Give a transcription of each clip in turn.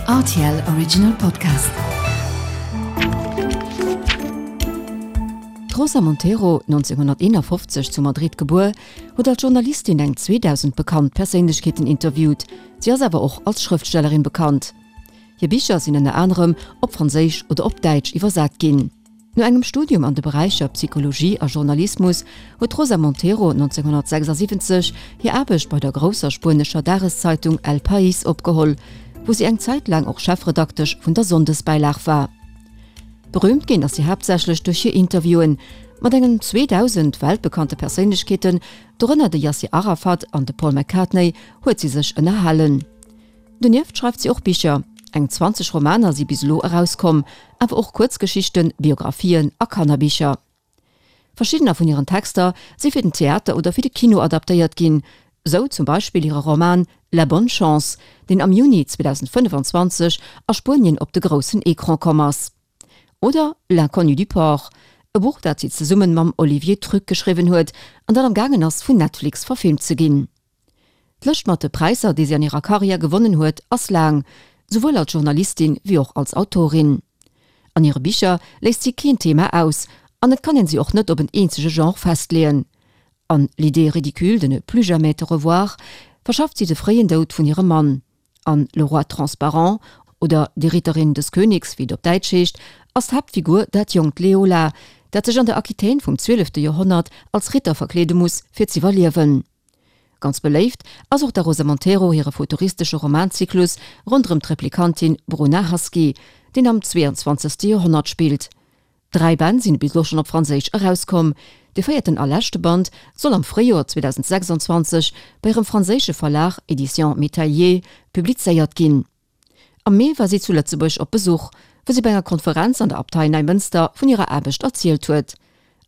Rtl Original Podcast. D'Rosa Montero, 1951 zu Madrid gebuer, huet als Journalistin eng 2.000 bekannt Perséinlechkeeten interviewt. Si ass awer och als Schrëftstellerin bekannt. Hir Bicher sinn ënner anerem op Franséisch oder op Däitsch iwwersat ginn. No engem Studium an de Beräicher Psychologie a Journalismus huet d'Rosa Montero 1976 hir Aarbecht bei der grousser spuenescher Dageszeitung El País opgeholl, wou si eng Zäit laang och Chefredaktesch vun der Sonndesbäilag war. Berüümt ginn ass si haaptsächlech duerch hir Interviewen mat engen 2.000 weltbekannte Perséinlechkeeten, dorënner de Yasser Arafat an de Paul McCartney, huet si sech ënnerhalen. Donieft schreift si och Bicher, eng 20 Romaner si bis elo erauskomm, awer och Kuerzgeschichten, Biographien a Kannerbicher. Verschiddener vun hiren Texter si fir den Theater oder fir de Kino adaptéiert ginn, sou zum Beispill hire Roman La bonne chance, deen am Juni 2025 a Spuenien op de groussen Ecran komm ass. Oder L'inconnu du port, e Buch, dat si zesummen mam Olivier Truc geschriwwen huet an dat am gaangen ass vun Netflix verfilmt ze ginn. D'Lëscht mat de Präisser, déi si an hirer Karriär gewonnen huet, ass laang, souwuel als Journalistin wéi och als Autorin. An hire Bicher léisst si keen Thema aus an et kann een si och net op en eenzege Genre festleeën. An L'idée ridicule de ne plus jamais te revoir verschafft si de fréien Doud vun hirem Mann. An Le roi transparent oder Die Ritterin des Königs, wéi et op Däitsch heescht, ass d'Haaptfigur dat jonkt Leola, dat sech an der Aquitaine vum zwielefte Joerhonnert als Ritter verkleede muss, fir z'iwwerliewen. Ganz beléift ass och der Rosa Montero hire futuristesche Romanzyklus ronderëm d'Replikantin Bruna Husky, deen am 22. Joerhonnert spillt. Dräi Bänn sinn bis elo schonn op Franséisch erauskomm. De véierten a leschte Band soll am Fréijoer 2026 bei hirem franséische Verlag Éditions Métailié publizéiert ginn. Am Mee war si zu Lëtzebuerg op Besuch, wou si bei enger Konferenz an der Abtei Neimënster vun hirer Aarbecht erzielt huet.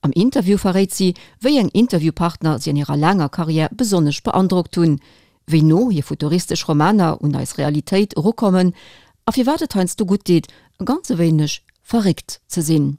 Am Interview verréit si, wéi eng Interviewpartner si an hirer laanger Karriär besonnesch beandrockt hunn, wéi no hir futuristesch Romaner un eis Realitéit erukommen a firwat et heiansdo gutt deet, e ganz e wéineg verréckt ze sinn.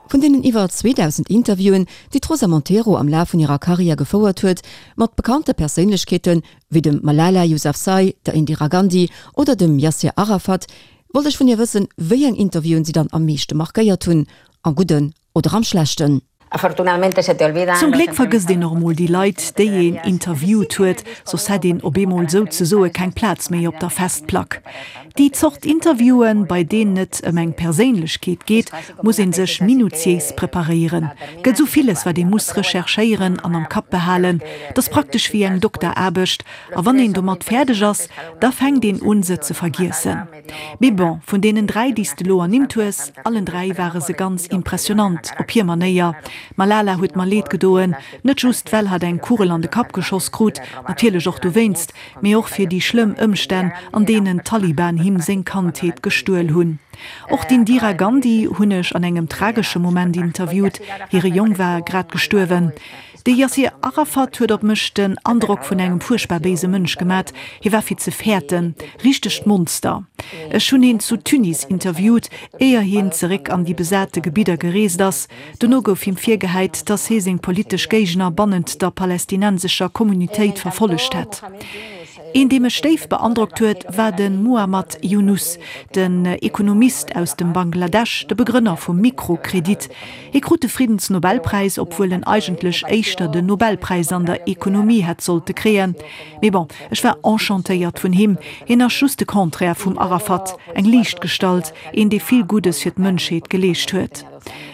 Vun deenen iwwer 2.000 Interviewen, déi d'Rosa Montero am Laf vun hirer Karriär gefouert huet, mat bekannte Perséinlechkeete wéi dem Malala Yousafzai, der Indira Gandhi oder dem Yasser Arafat, wollt ech vun hir wëssen, wéi eng Interviewen si dann am meeschte markéiert hunn, am Gudden oder am Schlechten. Zum Gléck vergësst een och emol déi Leit, déi een interviewt huet, soss hätt een op eemol souzesoe keng Plaz méi op der Festplack. Déi Zort Interviewen, bei deenen et ëm eng Perséinlechkeet geet, muss ee sech minutiéis preparéieren. Gëtt esou villes, wat ee muss recherchéieren an am Kapp behalen. 't ass praktesch wéi eng Dokteraarbecht, a wann een domat fäerdeg ass, da fänkt een un, se ze vergiessen. Mee bon, vun deenen 3 déi s de lo ernimmt hues, allen 3 ware se ganz impressionant op hir Manéier. D'Malala huet mer leed gedoen, net just well hatt eng Kugel an de Kapp geschoss krut, natierlech och dowéinst, mee och fir déi schlëmm Ëmstänn an deenen d'Taliban him seng Kandheet gestuel hunn. Och d'Indira Gandhi hunn ech an engem tragesche Moment interviewt, hire Jong war grad gestuerwen. De Yassir Arafat huet op mech den Androck vun engem fuerchtbar béise Mënsch gemat. Hie war fir ze fäerten. Richtegt Monster. Ech hunn hien zu Tunis interviewt, éier hien zeréck an déi besate Gebidder gereest ass. Dono gouf him virgehäit, datt hie seng politesch Géigner bannent der palästinensescher Communitéit verfollegt hätt. Een, dee mech déif beandrockt huet, war de Muhammad Yunus, den Ekonomist aus dem Bangladesch, de Begrënner vum Mikrokredit. Hie krut de Friddensnobelpräis, obwuel en eigentlech éischter den Nobelpräis an der Ekonomie hätt sollte kréien. Mee bon, ech war enchantéiert vun him. Hien ass just de Contraire vum Arafat, eng liicht Gestalt, een dee vill Guddes fir d'Mënschheet geleescht huet.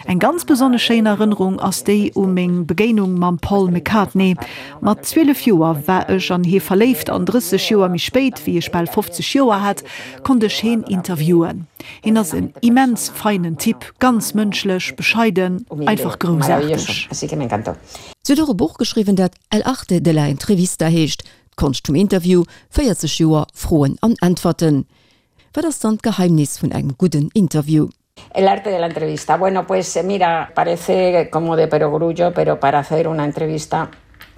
Eng ganz besonnesch schéin Erënnerung ass déi u meng Begéinung mam Paul McCartney. Mat 12 Joer war ech an hie verléift an 30 Joer méi spéit, wéi ech bal 50 Joer hat, konnt ech heen interviewen. Hien ass en immens feinen Typ, ganz mënschlech, bescheiden, einfach groussaarteg. Si huet och e Buch geschriwwen, dat El arte de la entrevista heescht, d'Konscht vum Interview, 40 Joer Froen an Äntwerten. Wat ass dann d'Geheimnis vun engem gudden Interview? El arte de la entrevista. Bueno, pues mira, parece como de perogrullo, pero para hacer una entrevista.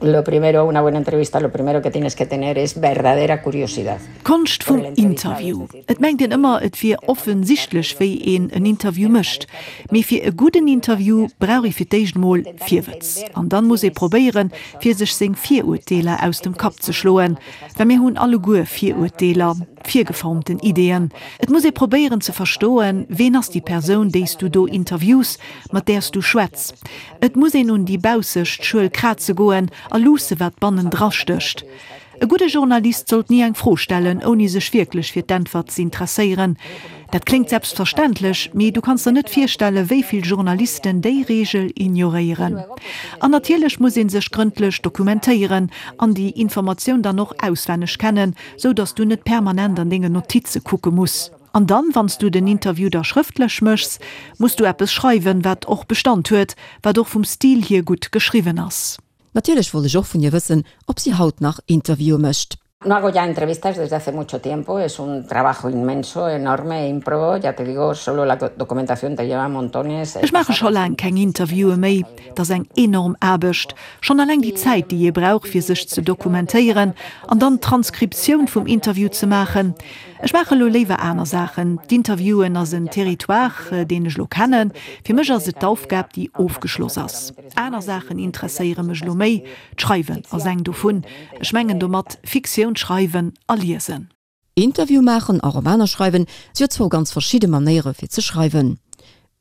Lo primero, una buena entrevista, lo primero que tienes que tener es verdadera curiosidad. D'Konscht vum Interview. Et mengt een ëmmer, et wier offensichtlech, wéi een en Interview mécht. Mee fir e gudden Interview brauch ee fir d'éischt mol Virwëtz. An dann muss ee probéieren, fir sech seng Virurteeler aus dem Kapp ze schloen. Well mir hunn alleguer Virurteeler, virgeformten Ideeën. Et muss ee probéieren ze verstoen, ween ass déi Persoun, déi s du do interviews, mat där s du schwätz. Et muss een un déi baussecht Schuel kraze goen a luusse wat bannendra stécht. E gudde Journalist sollt ni eng Fro stellen, ouni sech wierklech fir d'Äntwert z'intresséieren. Dat kléngt selbstverständlech, mee du kanns der net virstelle wéi vill Journalisten déi Reegel ignoréieren. An natierlech muss ee sech grëndlech dokumentéieren an déi Informatioun dann och auswenneg kennen, sou datt du net permanent an denge Notize kucke muss. An dann, wann s du den Interview da schrëftlech méchs, muss du eppes schreiwen, wat och Bestand huet, wat och vum Stil hier gutt geschriwwen ass. Natierlech wollt ech och vun hir wëssen, ob si haut nach Interviewe mécht. No hago ya entrevistas desde hace mucho tiempo, es un trabajo inmenso, enorme, ímprobo, ya te digo, solo la documentación te lleva montones. Ech maache scho laang keng Interviewe méi, et ass eng enorm Aarbecht. Schonn alleng déi Zäit, déi ee brauch, fir sech ze dokumentéieren an dann d'Transkriptioun vum Interview ze maachen. Ech maache lo léiwer aner Saachen. D'Interviewen ass en Territoire, deen ech lo kennen. Fir mech ass et d'Aufgab, déi ofgeschloss ass. Aner Saachen interesséiere mech lo méi. D'Schreiwen ass eng dovun. Ech mengen domat Fiktioun schreiwen a liesen. Interview maachen a Romaner schreiwen si jo zwou ganz verschidde Manéiere fir ze schreiwen.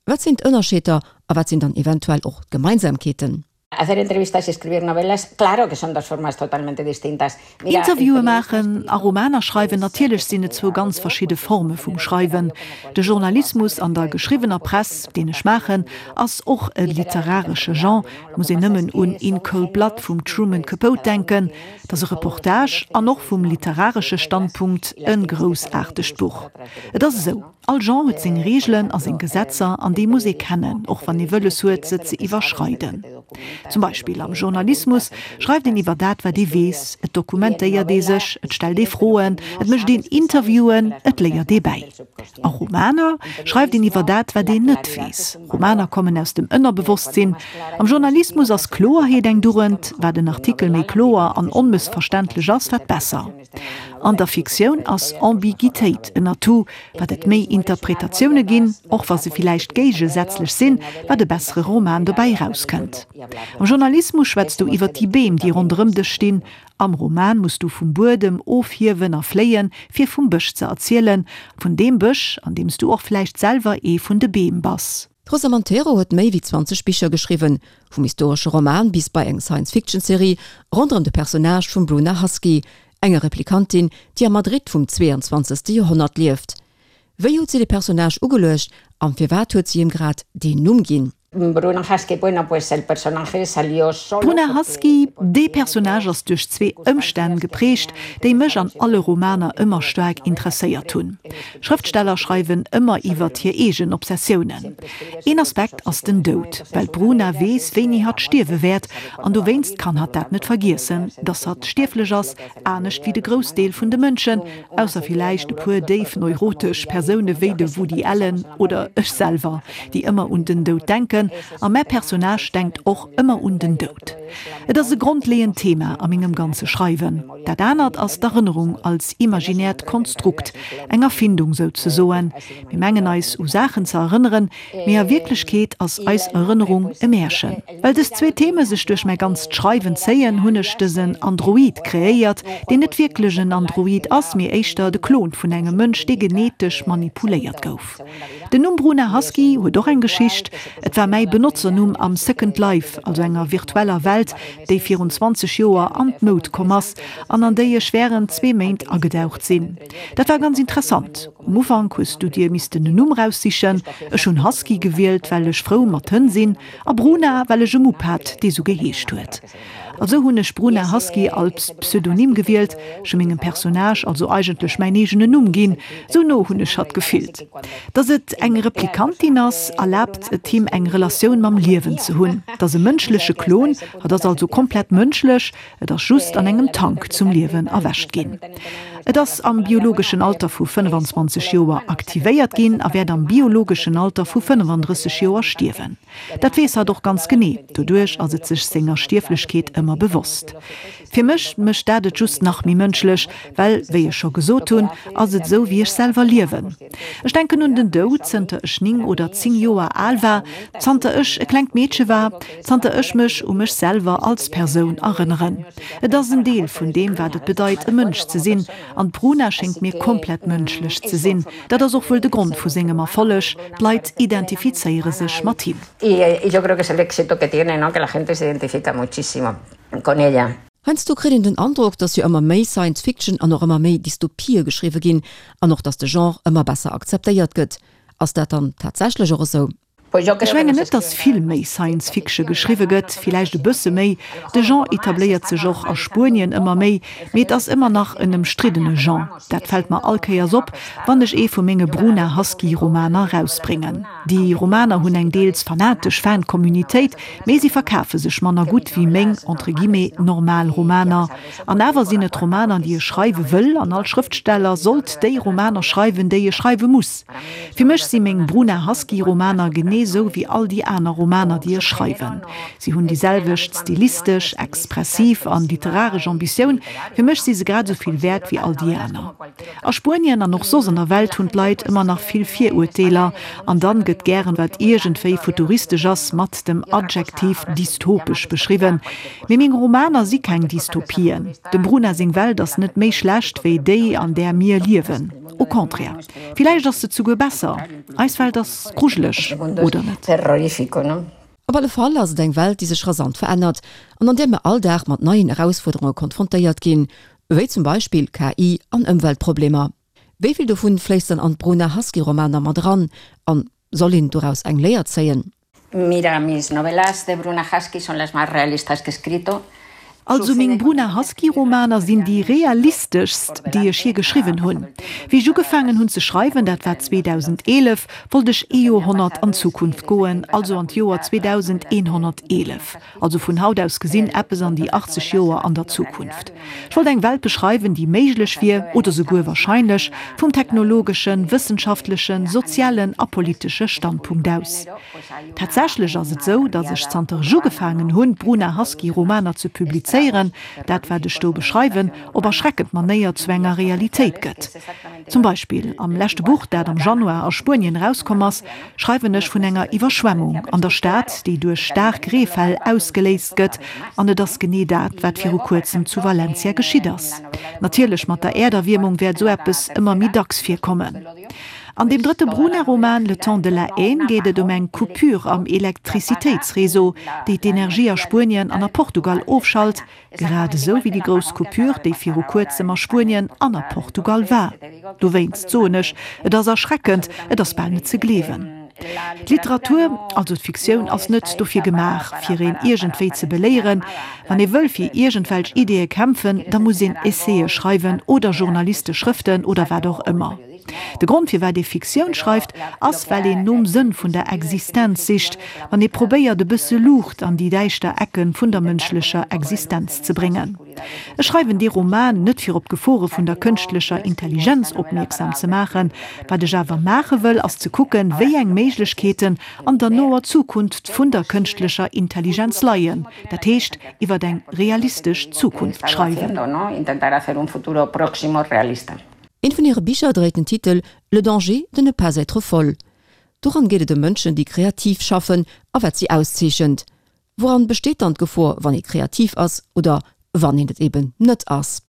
Wat sinn d'Ënnerscheeder a wat sinn dann eventuell och d'Gemeinsamkeeten? Hacer entrevistas y escribir novelas, claro que son dos formas totalmente distintas. Mira, Interviewe maachen a Romaner schreiwen, natierlech sinn et zwou ganz verschidde Forme vum Schreiwen. De Journalismus an der geschriwwener Press, deen ech maachen, ass och e literaresche Genre, et muss een nëmmen un In Cold Blood vum Truman Capote denken, et ass e Reportage an och vum literaresche Standpunkt e groussaartegt Buch. Et ass esou. All Genre huet seng Reegelen a seng Gesetzer an déi muss ee kennen, och wann ee wëlles huet, se ze iwwerschreiden. Zum Beispill am Journalismus schreift een iwwer dat, wat ee weess, et dokumentéiert ee sech, et stellt ee Froen, et mécht een Interviewen, et léiert ee bäi. A Romaner schreift een iwwer dat, wat een net weess. Romaner kommen aus dem Ënnerbewosstsinn. Am Journalismus ass Kloerheet eng Dugend, wat en Artikel méi kloer an onmëssverständlech ass, wat besser. An der Fiktioun ass Ambiguitéit en Atout, wat et méi Interpretatioune ginn, och wa se villäicht géigesätzlech sinn, wat e bessere Roman dobäi erauskënnt. Am Journalismus schwätz du iwwer déi Beem, déi ronderëm dech stinn. Am Roman muss du vum Buedem ofhiewen a fléien, fir vum Bësch ze erzielen, vun deem Bësch, an deem s du och vläicht selwer ee vun de Beem bass. D'Rosa Montero huet méi wéi 20 Bicher geschriwwen, vum historesche Roman bis bei eng Science-Fiction-Serie ronderëm de Personnage vum Bruna Husky, enger Replikantin, déi am Madrid vum 22. Joerhonnert lieft. Wéi huet si de Personnage ugeluecht an firwat huet si him grad deen Numm ginn? Bruna Husky, bueno, pues el personaje salió solo Bruna Husky, Dee Personnage ass duerch zwee Ëmstänn geprägt, déi mech an alle Romaner ëmmer staark interesséiert hunn. Schrëftsteller schreiwen ëmmer iwwert hir eegen Obsessiounen. Een Aspekt ass den Doud, well d'Bruna weess, wéini hatt stierwe wäert, an dowéinst kann hatt dat net vergiessen, dass hatt stierflech ass, anescht wéi de Groussdeel vun de Mënschen, ausser villäicht e puer déif neurotesch Persoune wéi de Woody Allen oder ech selwer, déi ëmmer un den Doud denken. A mäi Personnage denkt och ëmmer un den Doud. Et ass e grondleeënd Thema a mengem ganze Schreiwen. Dat anert ass d'Erënnerung als imaginäert Konstrukt, eng Erfindung souzesoen. Mir mengen eis u Saachen ze erënneren, mee a Wierklechkeet ass eis Erënnerung e Märchen. Well dës zwee Theme sech duerch mäi ganzt Schreiwen zéien, hunn ech dësen Android kreéiert, deen net wierklech en Android ass, mee éischter de Klon vun engem Mënsch, dee genetesch manipuléiert gouf. Den Numm Bruna Husky huet och eng Geschicht, Et war mäi Benotzernumm am Second Life, also enger virtueller Welt, déi virun 20 Joer an d'Moud komm ass an an déi ech wärend zwee Méint agedaucht sinn. Dat war ganz interessant. Um Ufank hues du dir missten en Numm raussichen. Ech hunn Husky gewielt, well ech frou mat Hënn sinn, a Bruna, well ech e Mupp hat, dee sou geheescht huet. Also hunn ech Bruna Husky als Pseudonym gewielt, ech hu mengem Personnage also eigentlech mäin eegenen Numm ginn, sou no hunn ech hatt gefillt. Dass et eng Replikantin ass, erlaabt et him eng Relatioun mam Liewen ze hunn. Et ass e mënschleche Klon, hatt ass also komplett mënschlech, et ass just an engem Tank zum Liewen erwächt ginn. Et ass am biologeschen Alter vu 25 Joer aktivéiert ginn a wäert am biologeschen Alter vu 35 Joer stierwen. Dat weess hatt och ganz genee, doduerch ass et sech senger Stierflechkeet ëmmer. ëmmer bewosst. Fir mech mécht dat et just nach méi mënschlech, well, wéi ech scho gesot hunn, ass et esou, wéi ech selwer liewen. Ech denken un den Doud, zënter ech 9 oder 10 Joer al war, zanter ech e klengt Meedche war, zanter ech mech u mech selwer als Persoun erënneren. Et ass en Deel vun deem, wat et bedeit, e Mënsch ze sinn. An d'Bruna schéngt mir komplett mënschlech ze sinn. Dat ass och wuel de Grond vu sengem Erfolleg, d'Leit identifizéiere sech mat him. Heiansdo kritt een den Androck, datt jo ëmmer méi Science Fiction an och ëmmer méi Dystopië geschriwwe ginn an och datt de Genre ëmmer besser akzeptéiert gëtt. Ass dat dann tatsächlech och esou? Ech mengen net, datt vill méi Science Fiction geschriwwe gëtt, villäicht e bësse méi. De Genre etabléiert sech och a Spuenien ëmmer méi, mee et ass ëmmer nach en ëmstriddene Genre. Dat fält mer all Kéiers op, wann ech ee vu menge Bruna Husky Romaner rausbréngen. Déi Romaner hunn eng deels fanatesch Fan-Communitéit, mee si verkafe sech manner gutt wéi meng, entre guillemets, normal Romaner. An awer sinn et Romaner, déi ech schreiwe wëll, an all Schrëftsteller sollt déi Romaner schreiwen, déi e schreiwe muss. Fir mech si meng Bruna Husky Romaner genee sou wéi all déi aner Romaner déi ech schreiwen. Si hunn déi selwecht stilistesch, expressiv an literaresch Ambitioun. Fir mech si se grad esou vill wäert wéi all déi aner. A Spuenien an och soss an der Welt hunn d'Leit ëmmer nach vill Virurteeler an dann gëtt gären wat iergendwéi futuristesch ass mat dem Adjektiv dystopesch beschriwwen. Mee meng Romaner si keng Dystopien. Dem Bruna seng Welt ass net méi schlecht wéi déi an där mir liewen. Au contraire, villäicht ass se zuguer besser. Eis Welt ass grujeleg, oder net? Op alle Fall ass et eng Welt, déi sech rasant verännert an an där mir all Dag mat neien Erausfuerderunge konfrontéiert ginn, wéi zum Beispill KI an Ëmweltproblemer. Wéi vill dovun fléisst dann an d'Bruna Husky-Romaner mat eran an soll een doraus eng Léier zéien? Mira, mis novelas de Bruna Husky son las más realistas que he escrito. Also meng Bruna Husky Romaner sinn déi realisteschst, déi ech je geschriwwen hunn. Wéi ech ugefaangen hunn ze schreiwen, dat war 2011, wollt ech ee Joerhonnert an d'Zukunft goen, also an d'Joer 2111. Also vun haut aus gesinn eppes an déi 80 Joer an der Zukunft. Ech wollt eng Welt beschreiwen, déi méiglech wier, oder souguer wahrscheinlech, vum technologeschen, wëssenschaftlechen, sozialen a politesche Standpunkt aus. Tatsächlech ass et sou, datt ech zanter ech ugefaangen hunn, d'Bruna Husky Romaner ze publizéieren, dat wat ech do beschreiwen, op erschreckend Manéier zu enger Realitéit gëtt. Zum Beispill am leschte Buch, dat am Januar a Spuenien erauskomm ass, schreiwen ech vun enger Iwwerschwemmung an der Stad, déi duerch staark Reefäll ausgeléist gëtt. An et ass genee dat, wat viru kuerzem zu Valencia geschitt ass. Natierlech, mat der Äerderwiermung wäert esou eppes ëmmer méi dacks virkommen. An deem drëtte Bruna-Roman Le temps de la haine geet et ëm eng Coupure am Elektrizitéitsreseau, déi d'Energie a Spuenien an a Portugal ofschalt, Grad esou wéi déi grouss Coupure, déi viru kuerzem a Spuenien an a Portugal war. Dowéinst soen ech, et ass erschreckend, et ass bal net ze gleewen. D'Literatur, also d'Fiktioun, ass net dofir gemaach, fir een iergendwéi ze beléieren. Wann ee wëll fir iergendwelch Ideeë kämpfen, da muss een Essaie schreiwen oder journalistesch Schrëften oder wat och ëmmer. De Grond firwat ee Fiktioun schreift, ass well een nom Sënn vun der Existenz sicht, wann ee probéiert e bësse Luucht an déi däischter Ecke vun der mënschlecher Existenz ze bréngen. Ech schreiwen dee Roman net fir op d'Gefore vun der kënschtlecher Intelligenz opmierksam ze maachen. Wat ech awer maache wëll, ass ze kucken, wéi eng Méiglechkeeten an der noer Zukunft vun der kënschtlecher Intelligenz leien, dat heescht iwwer eng realistesch Zukunft schreiwen. Eent vun hire Bicher dréit den Titel Le danger de ne pas être folle. Doran geet et ëm Mënschen, déi kreativ schaffen a wat si auszeechent. Wouran besteet dann d'Gefor, wann ee kreativ ass oder wann een et eben net ass?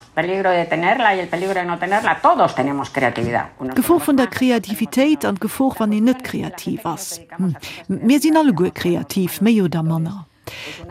D'Gefor vun der Kreativitéit an d'Gefor, wann een net kreativ ass. Hm, mir sinn alleguer kreativ, méi oder manner.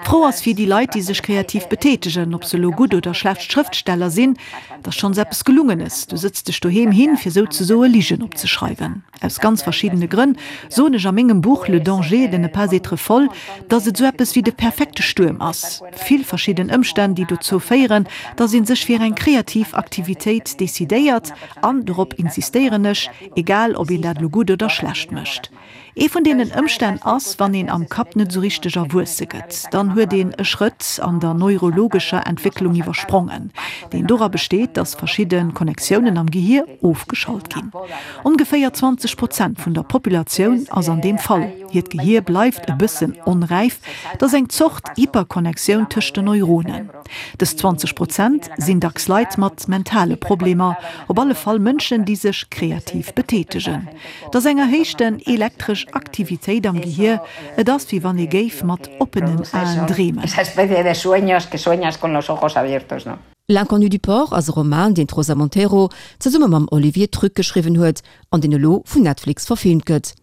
D'Fro ass fir déi Leit, déi sech kreativ betätegen, ob se elo gutt oder schlecht Schrëftsteller sinn, Et ass schonns eppes Gelungenes, du sëtz dech doheem hin, fir souzesoe Ligen opzeschreiwen. Aus ganz verschiddene Grënn soen ech a mengem Buch Le danger de ne pas être folle, dass et sou eppes wéi de perfekte Stuerm ass, vill verschidden Ëmstänn, déi dozou féieren, dass ee sech fir eng kreativ Aktivitéit decidéiert, an, dorop insistéieren ech, egal ob een dat elo gutt oder schlecht mécht. Ee vun deenen Ëmstänn ass, wann een am Kapp net esou richteg erwuesse gëtt, dann huet een e Schrëtt an der neurologescher Entwécklung iwwersprongen, deen dora besteet, datt verschidde Connectiounen am Gehier ofgeschalt ginn. Ongeféier 20 Prozent vun der Populatioun ass an deem Fall. Hiert Gehier bleift e bëssen onräif, et ass eng Zort Hyperconnectioun tëscht den Neuronen. Dës 20 Prozent sinn dacks Leit mat mentale Problemer, op alle Fall Mënschen, déi sech kreativ betätegen. Et ass eng erhéichten elektresch Aktivitéit am Gehier, et ass wéi wann ee géif mat oppenen Aen dreemen. L'inconnue du port ass e Roman, deen d'Rosa Montero zesumme mam Olivier Truc geschriwwen huet an deen elo vun Netflix verfilmt gëtt.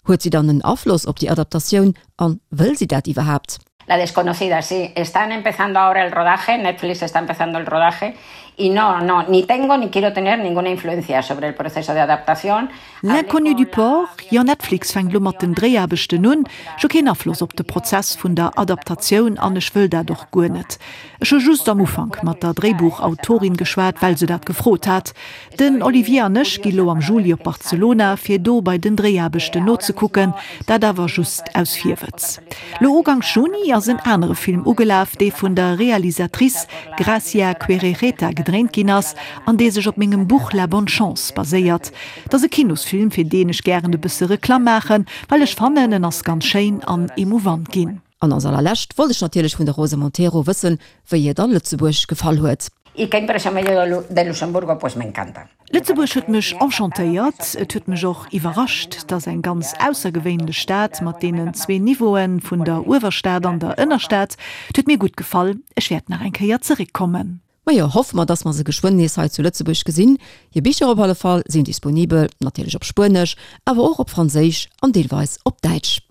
Huet si dann en Afloss op déi Adaptatioun an wëll si dat iwwerhaapt? La desconocida, sí. Están empezando ahora el rodaje, Netflix está empezando el rodaje y no, no, ni tengo ni quiero tener ninguna influencia sobre el proceso de adaptación. L'inconnue du port, jo, Netflix fänkt elo mat den Dréiaarbechten un. Ech hu keen Afloss op de Prozess vun der Adaptatioun an ech wëll dat och guer net. Ech hu just am Ufank mat der Dréibuchautorin geschwat, well se dat gefrot hat. Den Olivier an ech gi lo am Juli op Barcelona, fir do bei den Dréiaarbechten nozekucken, dat awer just aus Virwëtz. Lo Uganks Juni ass en anere Film ugelaf, dee vun der Realisatrice Gracia Querejeta gedréint ginn ass an dee sech op mengem Buch La bonne chance baséiert. Et ass e Kinosfilm, fir deen ech gären e bësse Reklamm maachen, well ech fannen, en ass ganz schéin an emouvant ginn. An als allerlescht wollt ech natierlech vun der Rosa Montero wëssen, wéi hir dann Lëtzebuerg gefall huet. Y qué impresión me llevo de Luxemburgo? Pues me encanta. Lëtzebuerg huet mech enchantéiert. Et huet mech och iwwerrascht. Et ass eng ganz aussergewéinlech Stad mat deenen zwee Niveauen vun der Uewerstad an der Ënnerstad. Et huet mir gutt gefall. Ech wäert nach eng Kéier zeréckkommen. Majo, hoffe mer, dass mer se geschwënn nees hei zu Lëtzebuerg gesinn. Hir Bicher op alle Fall sinn disponibel, natierlech op Spuenesch, awer och op Franséisch an deelweis op Däitsch.